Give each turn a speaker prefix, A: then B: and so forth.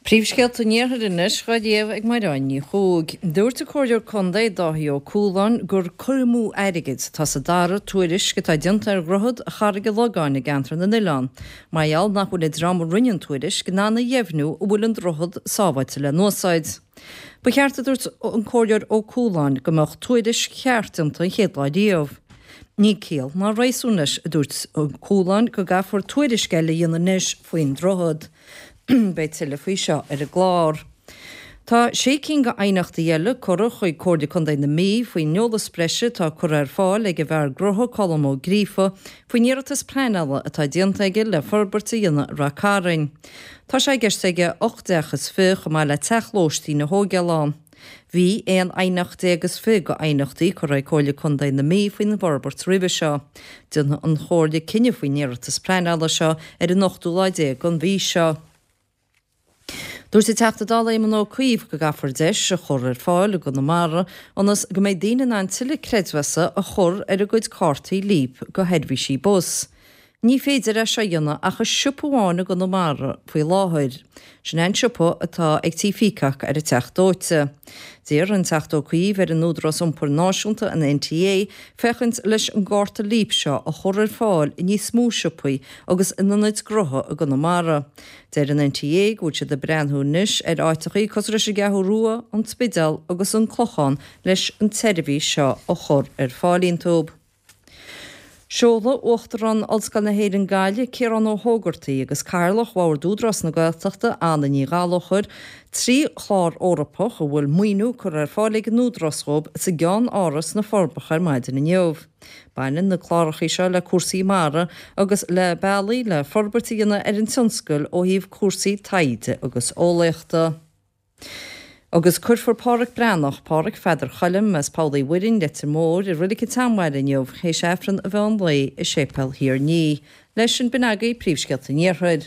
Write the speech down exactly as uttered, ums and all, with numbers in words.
A: Príomhscéalta an Iarthair anois á léamh ag Mairéad Ní Chuaig. Dúirt an Comhairleoir Contae Dáithí Ó Cualáin gur cur amú airgid atá sa dara tuairisc atá déanta ar dhroichead Charraig an Logáin i gceantar na nOileán, mar gheall nach bhfuil an dream a rinne an tuairisc in ann a dheimhniú an bhfuil an droichead sábháilte le n-úsáid. Ba cheart a dúirt an Comhairleoir Ó Cualáin go mbeadh tuairisc cheart déanta an chéad lá riamh. Níl ciall ná réasún leis, a dúirt Ó Cualáin, go gcaithfear tuairisc eile a dhéanamh anois faoin droichead. Beidh tuilleadh faoi seo ar an gclár. Tá sé cinn d'aighneachtaí eile curtha chuig Comhairle Contae na Mí faoin eolas breise atá curtha ar fáil ag an bhfear gnó Colm Ó Gríofa faoin iarratas pleanála atá déanta aige le forbairt a dhéanamh i Rath Cairn. Tá sé i gceist aige ocht dteach is fiche chomh maith le teach lóistín a thógáil ann. Bhí aon aighneacht déag is fiche d'aighneachtaí curtha ag Comhairle Contae na Mí faoin bhforbairt roimhe seo. Déanfaidh an Chomhairle cinneadh faoin iarratas pleanála seo ar an ochtú lá déag den mhí seo. Dúirt an Teachta Dála Éamon Ó Cuív go gcaithfear deis a chur ar fáil i gConamara ionas go mbeidh daoine in ann tuilleadh creidmheasa a chur ar a gcuid cártaí Leap do sheirbhísí bus. Ní féidir é seo a dhéanamh ach i siopa amháin i gConamara faoi láthair. Sin é an siopa atá ag Tí Peacock ar an Teach Dóite. D'iarr an Teachta Ó Cuív ar an Údarás Iompair Náisiúnta an NTA féachaint leis an gcárta Leap seo a chur ar fáil i níos mó siopaí agus in ionaid gnótha i gConamara. Deir an NTA go bhfuil siad ag breathnú anois ar áiteachaí cosúil leis an gCeathrú Rua, an Spidéal agus an Clochán leis an tseirbhís seo a chur ar fáil iontu. Seoladh Uachtarán Ollscoil na hÉireann Gaillimh, Ciarán Ó hÓgartaigh agus Cathaoirleach Bhord Údarás na Gaeltachta, Anna Ní Ghallchóir, trí chlár Eorpach a bhfuil maoiniú curtha ar fáil ag an Údarás dhóibh sa gCeann-Áras sna Forbacha ar maidin inniu. Baineann na clárachaí seo le cúrsaí mara agus le bealaí le forbairt a dhéanamh ar an tionscal ó thaobh cúrsaí taighde agus eolaíochta. Agus cuirfear Páraic Breathnach, Páraic Pheadair Choilm as Poll Uí Mhuirinn, Leitir Móir, i Reilig an tSeanbhaile inniu, théis Aifreann an mheán lae i Séipéal Thír an Fhia. Leis sin b'in agaibh príomhscéalta an Iarthair.